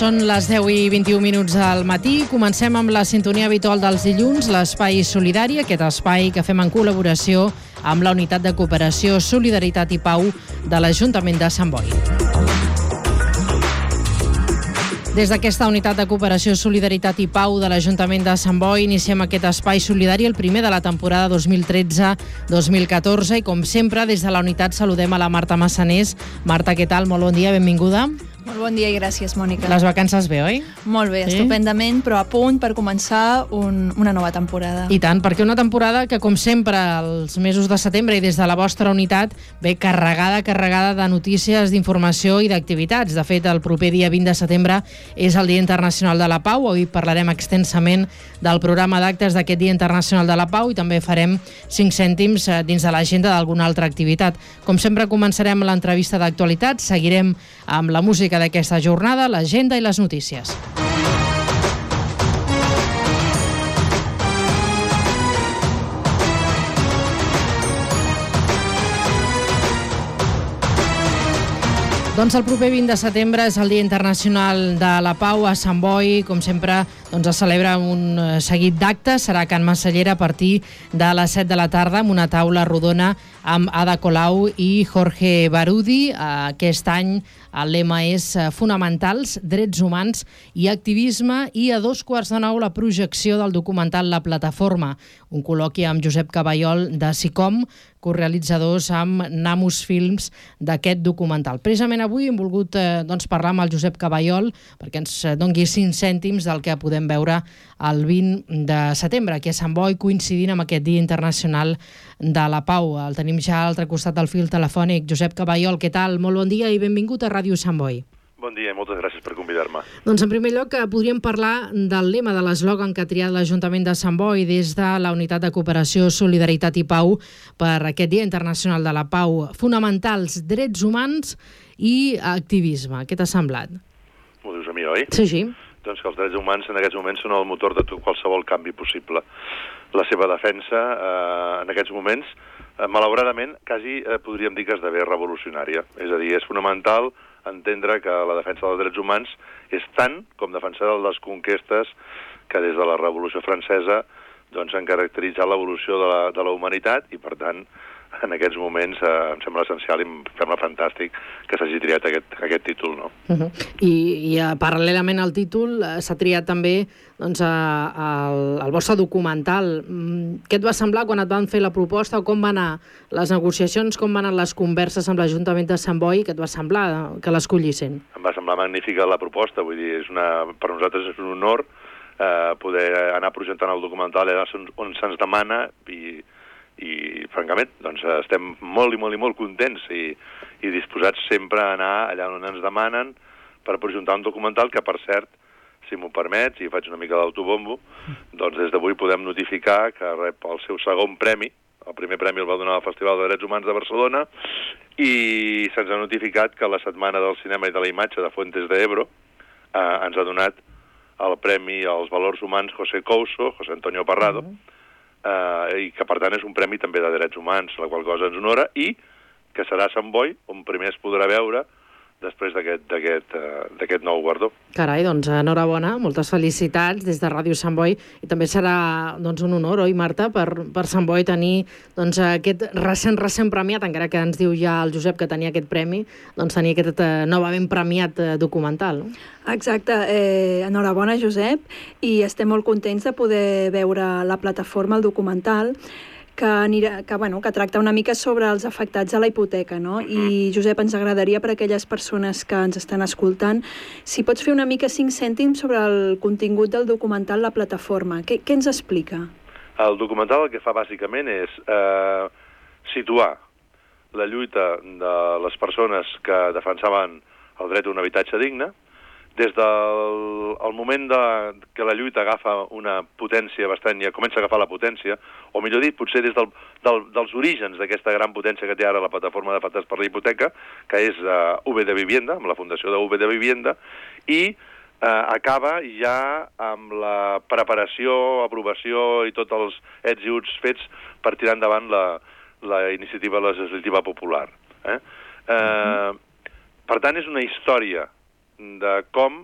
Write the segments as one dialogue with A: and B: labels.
A: Són les 10 i 21 minuts del matí. Comencem amb la sintonia habitual dels dilluns, l'Espai Solidari, aquest espai que fem en col·laboració amb la Unitat de Cooperació, Solidaritat i Pau de l'Ajuntament de Sant Boi. Des d'aquesta Unitat de Cooperació, Solidaritat i Pau de l'Ajuntament de Sant Boi iniciem aquest espai solidari, el primer de la temporada 2013-2014, i com sempre des de la unitat saludem a la Marta Massanés. Marta, què tal? Molt bon dia, benvinguda.
B: Molt bon dia i gràcies, Mònica.
A: Les vacances bé, oi?
B: Molt bé, sí? Estupendament, però a punt per començar una nova temporada.
A: I tant, perquè una temporada que, com sempre, els mesos de setembre i des de la vostra unitat, ve carregada de notícies, d'informació i d'activitats. De fet, el proper dia 20 de setembre és el Dia Internacional de la Pau. Avui parlarem extensament del programa d'actes d'aquest Dia Internacional de la Pau i també farem 5 cèntims dins de l'agenda d'alguna altra activitat. Com sempre, començarem l'entrevista d'actualitat, seguirem amb la música d'aquesta jornada, l'agenda i les notícies. Doncs el proper 20 de setembre és el Dia Internacional de la Pau a Sant Boi. Com sempre, es celebra un seguit d'actes. Serà a Can Massallera a partir de les 7 de la tarda amb una taula rodona amb Ada Colau i Jorge Barudi. Aquest any el lema és Fonamentals, Drets Humans i Activisme, i a 15:15 la projecció del documental La Plataforma, un col·loqui amb Josep Caballol de SICOM, corealitzadors amb Namus Films d'aquest documental. Precisament avui hem volgut parlar amb el Josep Caballol perquè ens doni 5 cèntims del que podem veure el 20 de setembre aquí a Sant Boi, coincidint amb aquest Dia Internacional de la Pau. El tenim ja a l'altre costat del fil telefònic. Josep Caballol, què tal? Molt bon dia i benvingut a Ràdio Sant Boi.
C: Bon dia i moltes gràcies per convidar-me.
A: Doncs en primer lloc podríem parlar del lema, de l'eslògan que ha triat l'Ajuntament de Sant Boi des de la Unitat de Cooperació, Solidaritat i Pau per aquest Dia Internacional de la Pau. Fonamentals, Drets Humans i Activisme. Què t'ha semblat?
C: M'ho dius a mi, oi?
A: Sí.
C: Doncs que els drets humans en aquests moments són el motor de qualsevol canvi possible. La seva defensa en aquests moments, malauradament, quasi podríem dir que esdevé revolucionària. És a dir, és fonamental entendre que la defensa dels drets humans és tant com defensar les conquestes que des de la Revolució Francesa han caracteritzat l'evolució de la humanitat i, per tant, en aquests moments em sembla essencial i em sembla fantàstic que s'hagi triat aquest títol, no?
A: I paral·lelament al títol s'ha triat també el vostre documental. Què et va semblar quan et van fer la proposta o com van anar les negociacions, com van anar les converses amb l'Ajuntament de Sant Boi? Què et va semblar que l'escollissin?
C: Em va semblar magnífica la proposta, vull dir, per nosaltres és un honor poder anar projectant el documental on se'ns demana i francament, estem molt i molt contents i disposats sempre a anar allà on ens demanen per projectar un documental que, per cert, si m'ho permets, i faig una mica d'autobombo, doncs des d'avui podem notificar que rep el seu segon premi. El primer premi el va donar al Festival de Drets Humans de Barcelona i se'ns ha notificat que la Setmana del Cinema i de la Imatge de Fuentes de Ebro ens ha donat el Premi als Valors Humans José Couso, José Antonio Parrado, i que per tant és un premi també de drets humans, la qual cosa ens honora, i que serà a Sant Boi on primer es podrà veure després d'aquest nou guardó. Carai,
A: doncs enhorabona, moltes felicitats des de Ràdio Sant Boi, i també serà un honor, oi, Marta, per Sant Boi tenir aquest recent premiat, encara que ens diu ja el Josep que tenia aquest premi, tenir aquest novament premiat documental, no?
B: Exacte, enhorabona, Josep, i estem molt contents de poder veure La Plataforma, el documental, que tracta una mica sobre els afectats a la hipoteca, no? I, Josep, ens agradaria per a aquelles persones que ens estan escoltant, si pots fer una mica 5 cèntims sobre el contingut del documental La Plataforma. Què ens explica?
C: El documental el que fa bàsicament és situar la lluita de les persones que defensaven el dret a un habitatge digne, des del moment que la lluita agafa una potència bastant, ja comença a agafar la potència, o millor dit, potser des dels orígens d'aquesta gran potència que té ara la plataforma d'afectats per la hipoteca, que és V de Vivienda, amb la fundació de V de Vivienda, i acaba ja amb la preparació, aprovació i tots els ets i uts fets per tirar endavant la iniciativa legislativa popular. Per tant, és una història de com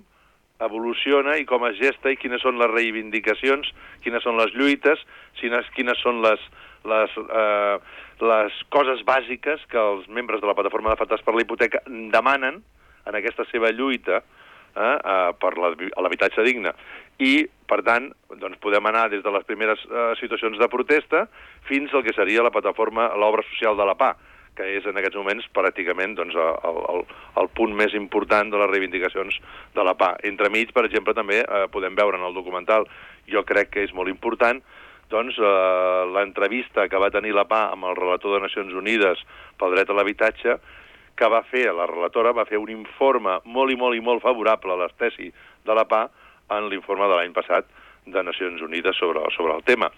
C: evoluciona i com es gesta i quines són les reivindicacions, quines són les lluites, quines són les coses bàsiques que els membres de la plataforma d'afectats per la hipoteca demanen en aquesta seva lluita per l'habitatge digne. I, per tant, doncs podem anar des de les primeres situacions de protesta fins al que seria la plataforma, l'obra social de la PA, que és en aquests moments pràcticament doncs, el punt més important de les reivindicacions de la PA. Entremig, per exemple, també podem veure en el documental, jo crec que és molt important, doncs, l'entrevista que va tenir la PA amb el relator de Nacions Unides pel dret a l'habitatge, que va fer, la relatora va fer un informe molt i molt favorable a l'estesi de la PA en l'informe de l'any passat de Nacions Unides sobre el tema.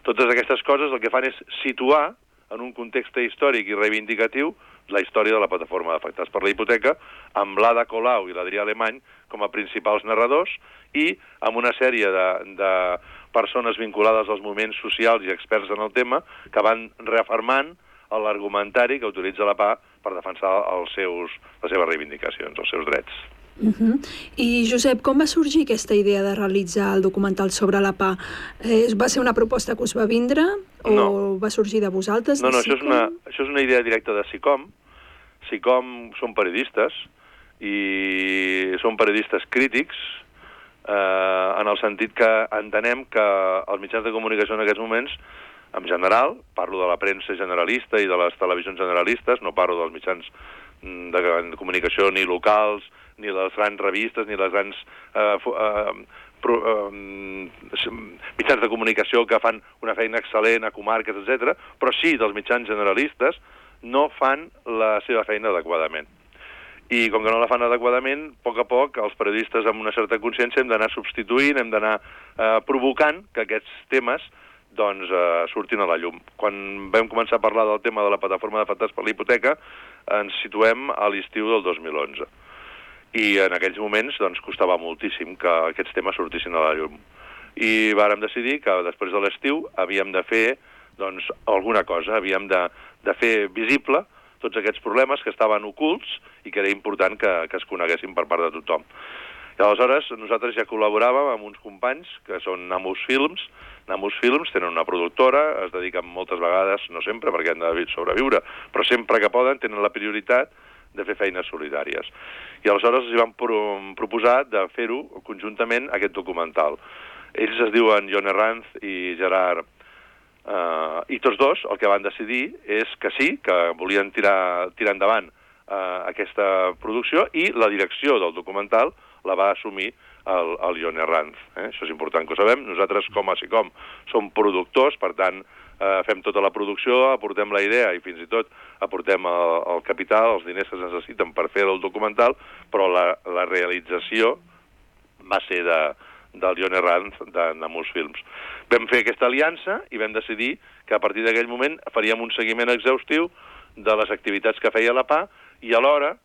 C: Totes aquestes coses el que fan és situar en un context històric i reivindicatiu la història de la plataforma d'afectats per la hipoteca, amb l'Ada Colau i l'Adrià Alemany com a principals narradors i amb una sèrie de persones vinculades als moviments socials i experts en el tema que van reafirmant l'argumentari que utilitza la PA per defensar les seves reivindicacions, els seus drets.
B: I, Josep, com va sorgir aquesta idea de realitzar el documental sobre la PA? Va ser una proposta que us va vindre o va sorgir de vosaltres?
C: No, això és una idea directa de SICOM. SICOM són periodistes i són periodistes crítics en el sentit que entenem que els mitjans de comunicació en aquests moments, en general, parlo de la premsa generalista i de les televisions generalistes, no parlo dels mitjans de comunicació ni locals, ni les grans revistes, ni les grans mitjans de comunicació que fan una feina excel·lent a comarques, etc., però sí dels mitjans generalistes no fan la seva feina adequadament. I com que no la fan adequadament, a poc, els periodistes amb una certa consciència hem d'anar substituint, hem d'anar provocant que aquests temes doncs surtin a la llum. Quan vam començar a parlar del tema de la plataforma d'afectats per la hipoteca, ens situem a l'estiu del 2011. I en aquells moments doncs, costava moltíssim que aquests temes sortissin a la llum. I vàrem decidir que després de l'estiu havíem de fer doncs, alguna cosa, havíem de fer visible tots aquests problemes que estaven ocults i que era important que es coneguessin per part de tothom. I aleshores nosaltres ja col·laboràvem amb uns companys que són Namus Films. Namus Films tenen una productora, es dediquen moltes vegades, no sempre perquè han de sobreviure, però sempre que poden tenen la prioritat de fer feines solidàries. I aleshores els van proposar de fer-ho conjuntament aquest documental. Ells es diuen Jon Herranz i Gerard, i tots dos el que van decidir és que sí, que volien tirar endavant aquesta producció i la direcció del documental la va assumir el Jon Herranz. Això és important que ho sabem. Nosaltres, com a SICOM, som productors, per tant, fem tota la producció, aportem la idea i fins i tot aportem el capital, els diners que es necessiten per fer el documental, però la realització va ser del Jon Herranz de Namus Films. Vam fer aquesta aliança i vam decidir que a partir d'aquell moment faríem un seguiment exhaustiu de les activitats que feia la PA i alhora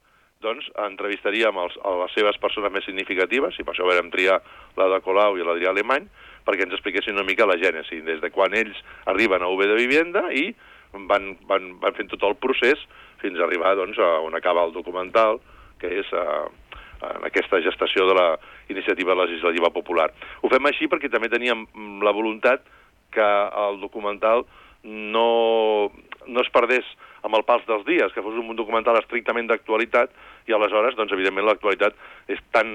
C: doncs, entrevistaríem a les seves persones més significatives, i per això vam triar l'Ada Colau i l'Adrià Alemany, perquè ens expliquessin una mica la gènesi, des de quan ells arriben a UB de Vivienda i van fent tot el procés fins a arribar doncs, a on acaba el documental, que és en aquesta gestació de la iniciativa legislativa popular. Ho fem així perquè també teníem la voluntat que el documental no es perdés amb el pas dels dies, que fos un documental estrictament d'actualitat, i aleshores, doncs, evidentment, l'actualitat és tan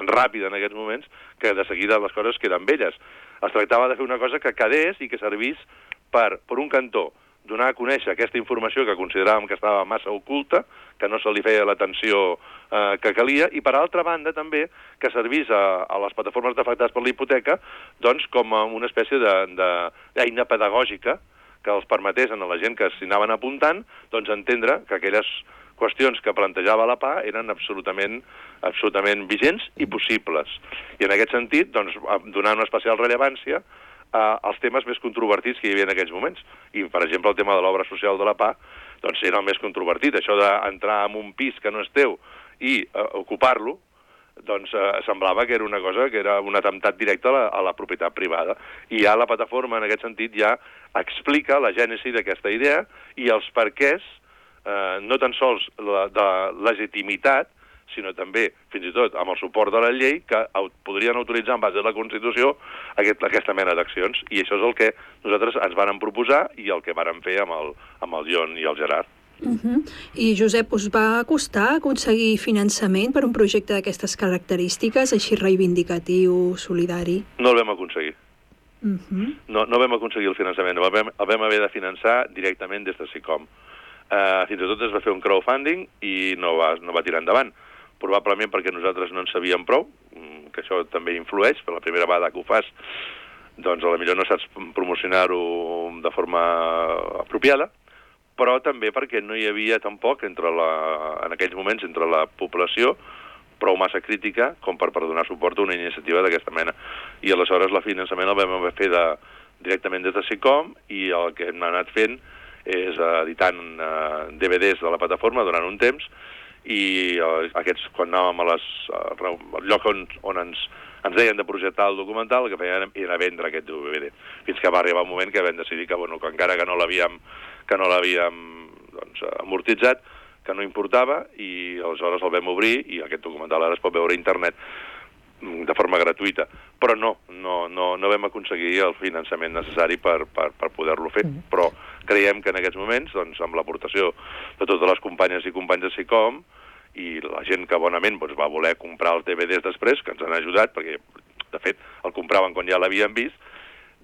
C: ràpida en aquests moments que de seguida les coses queden velles. Es tractava de fer una cosa que quedés i que servís per un cantó, donar a conèixer aquesta informació que consideràvem que estava massa oculta, que no se li feia l'atenció que calia, i per altra banda també que servís a les plataformes d'afectats per la hipoteca doncs, com una espècie d'eina pedagògica que els permetés a la gent que s'hi anaven apuntant doncs, entendre que aquelles qüestions que plantejava la PA eren absolutament vigents i possibles. I en aquest sentit, doncs, donar una especial rellevància als temes més controvertits que hi havia en aquells moments. I, per exemple, el tema de l'obra social de la PA doncs, era el més controvertit. Això d'entrar en un pis que no és teu i ocupar-lo, doncs semblava que era una cosa que era un atemptat directe a la propietat privada. I ja la plataforma, en aquest sentit, ja explica la gènesi d'aquesta idea i els perquès, no tan sols de legitimitat, sinó també, fins i tot, amb el suport de la llei, que podrien autoritzar en base a la Constitució aquesta mena d'accions. I això és el que nosaltres ens vàrem proposar i el que vàrem fer amb el Jon i el Gerard.
B: I, Josep, us va costar aconseguir finançament per un projecte d'aquestes característiques, així reivindicatiu, solidari?
C: No el vam aconseguir. No vam aconseguir el finançament. El vam haver de finançar directament des de SICOM. Fins i tot es va fer un crowdfunding i no va tirar endavant. Probablement perquè nosaltres no en sabíem prou, que això també influeix, per la primera vegada que ho fas, doncs potser no saps promocionar-ho de forma apropiada, però també perquè no hi havia tampoc, en aquells moments, entre la població, prou massa crítica com per donar suport a una iniciativa d'aquesta mena. I aleshores el finançament el vam fer directament des de SICOM i el que hem anat fent és editant DVDs de la plataforma durant un temps i aquests, quan anàvem al lloc on ens deien de projectar el documental, el que feien era vendre aquest DVD. Fins que va arribar un moment que vam decidir que encara que no l'havíem amortitzat, que no importava, i aleshores el vam obrir i aquest documental ara es pot veure a internet de forma gratuïta. Però no vam aconseguir el finançament necessari per poder-lo fer. Però creiem que en aquests moments, doncs, amb l'aportació de totes les companyes i companys de SICOM i la gent que bonament va voler comprar els DVDs després, que ens han ajudat, perquè de fet el compraven quan ja l'havien vist,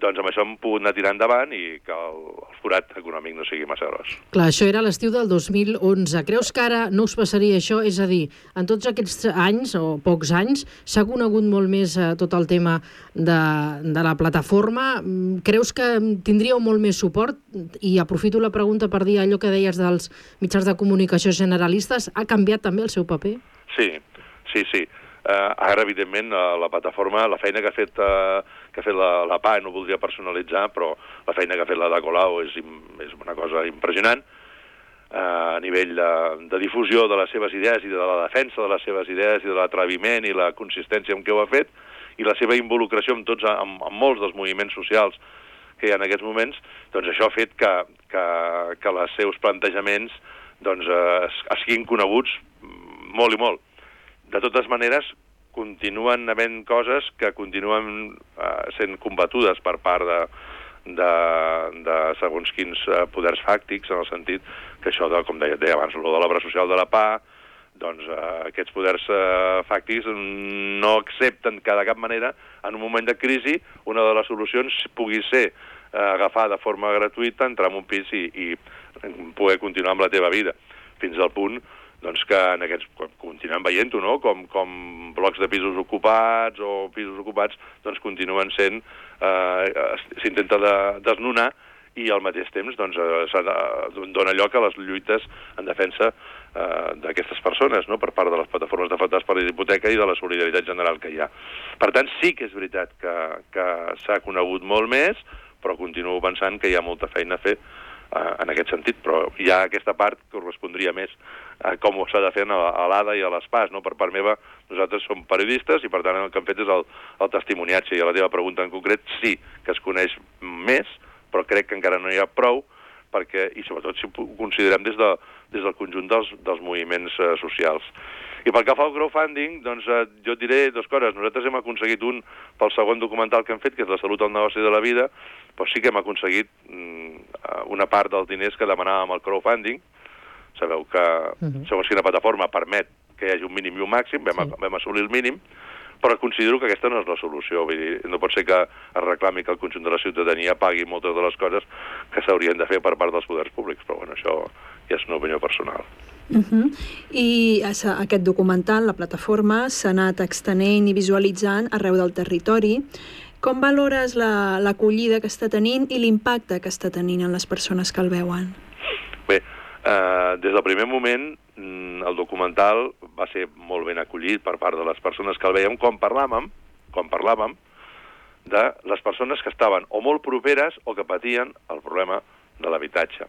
C: doncs amb això hem pogut anar tirant endavant i que el forat econòmic no sigui massa gros.
A: Clar, això era l'estiu del 2011. Creus que ara no us passaria això? És a dir, en tots aquests anys, o pocs anys, s'ha conegut molt més tot el tema de la plataforma. Creus que tindríeu molt més suport? I aprofito la pregunta per dir allò que deies dels mitjans de comunicació generalistes. Ha canviat també el seu paper?
C: Sí. Ara, evidentment, la plataforma, la feina que ha fet la PA, no voldria personalitzar, però la feina que ha fet la de Colau és una cosa impressionant a nivell de difusió de les seves idees i de la defensa de les seves idees i de l'atreviment i la consistència amb què ho ha fet i la seva involucració amb molts dels moviments socials que hi ha en aquests moments, doncs això ha fet que els seus plantejaments es siguin coneguts molt i molt. De totes maneres, continuen havent coses que continuen sent combatudes per part de segons quins poders fàctics, en el sentit que això, com deia abans, de l'obra social de la PA, doncs aquests poders fàctics no accepten que de cap manera, en un moment de crisi, una de les solucions pugui ser agafar de forma gratuïta, entrar en un pis i poder continuar amb la teva vida, fins al punt que en aquests continuem veient-ho, no? Com blocs de pisos ocupats o pisos ocupats continuen sent, s'intenta desnonar i al mateix temps dona lloc a les lluites en defensa d'aquestes persones, no? Per part de les plataformes d'afectats per la hipoteca i de la solidaritat general que hi ha. Per tant, sí que és veritat que s'ha conegut molt més, però continuo pensant que hi ha molta feina a fer en aquest sentit, però hi ha aquesta part que correspondria més a com s'ha de fer a l'ADA i a l'ESPAS, no? Per part meva, nosaltres som periodistes i per tant el que hem fet és el testimoniatge, i a la teva pregunta en concret sí que es coneix més, però crec que encara no hi ha prou, i sobretot si ho considerem des del conjunt dels moviments socials. I pel que fa al crowdfunding, doncs jo et diré dues coses. Nosaltres hem aconseguit pel segon documental que hem fet, que és La salut al negoci de la vida, però sí que hem aconseguit una part dels diners que demanàvem al crowdfunding. Sabeu que segons quina plataforma permet que hi hagi un mínim i un màxim, vam assolir el mínim, però considero que aquesta no és la solució. Vull dir, no pot ser que es reclami que el conjunt de la ciutadania pagui moltes de les coses que s'haurien de fer per part dels poders públics, però bueno, això ja és una opinió personal.
B: I aquest documental, la plataforma, s'ha anat extenent i visualitzant arreu del territori. Com valores l'acollida que està tenint i l'impacte que està tenint en les persones que el veuen?
C: Bé, des del primer moment el documental va ser molt ben acollit per part de les persones que el veiem quan parlàvem de les persones que estaven o molt properes o que patien el problema de l'habitatge.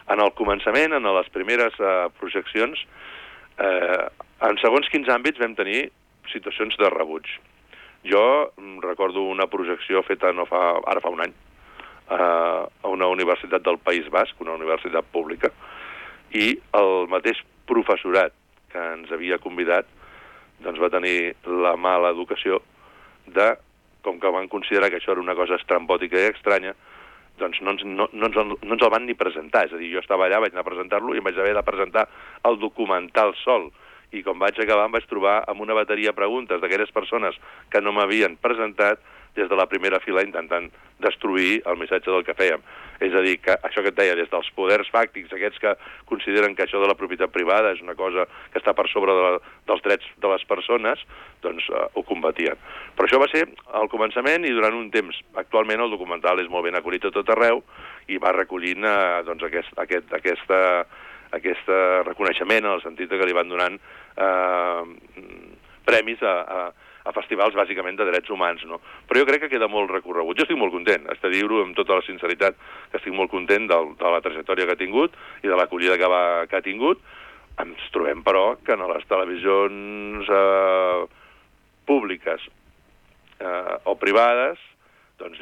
C: En el començament, en les primeres projeccions, en segons quins àmbits vam tenir situacions de rebuig. Jo recordo una projecció feta ara fa un any a una universitat del País Basc, una universitat pública, i el mateix professorat que ens havia convidat, doncs va tenir la mala educació de, com que van considerar que això era una cosa estrambòtica i estranya, doncs no ens el van ni presentar. És a dir, jo estava allà, vaig anar a presentar-lo i em vaig haver de presentar el documental sol. I quan vaig acabar em vaig trobar amb una bateria de preguntes d'aquelles persones que no m'havien presentat des de la primera fila intentant destruir el missatge del que fèiem. És a dir, que això que et deia, des dels poders fàctics, aquests que consideren que això de la propietat privada és una cosa que està per sobre dels drets de les persones, doncs ho combatien. Però això va ser al començament i durant un temps. Actualment el documental és molt ben acollit a tot arreu i va recollint doncs, aquest reconeixement en el sentit que li van donant premis a festivals bàsicament de drets humans, no? Però jo crec que queda molt recorregut. Jo estic molt content, haig de dir-ho amb tota la sinceritat, que estic molt content de la trajectòria que ha tingut i de l'acollida que ha tingut. Ens trobem, però, que en les televisions públiques o privades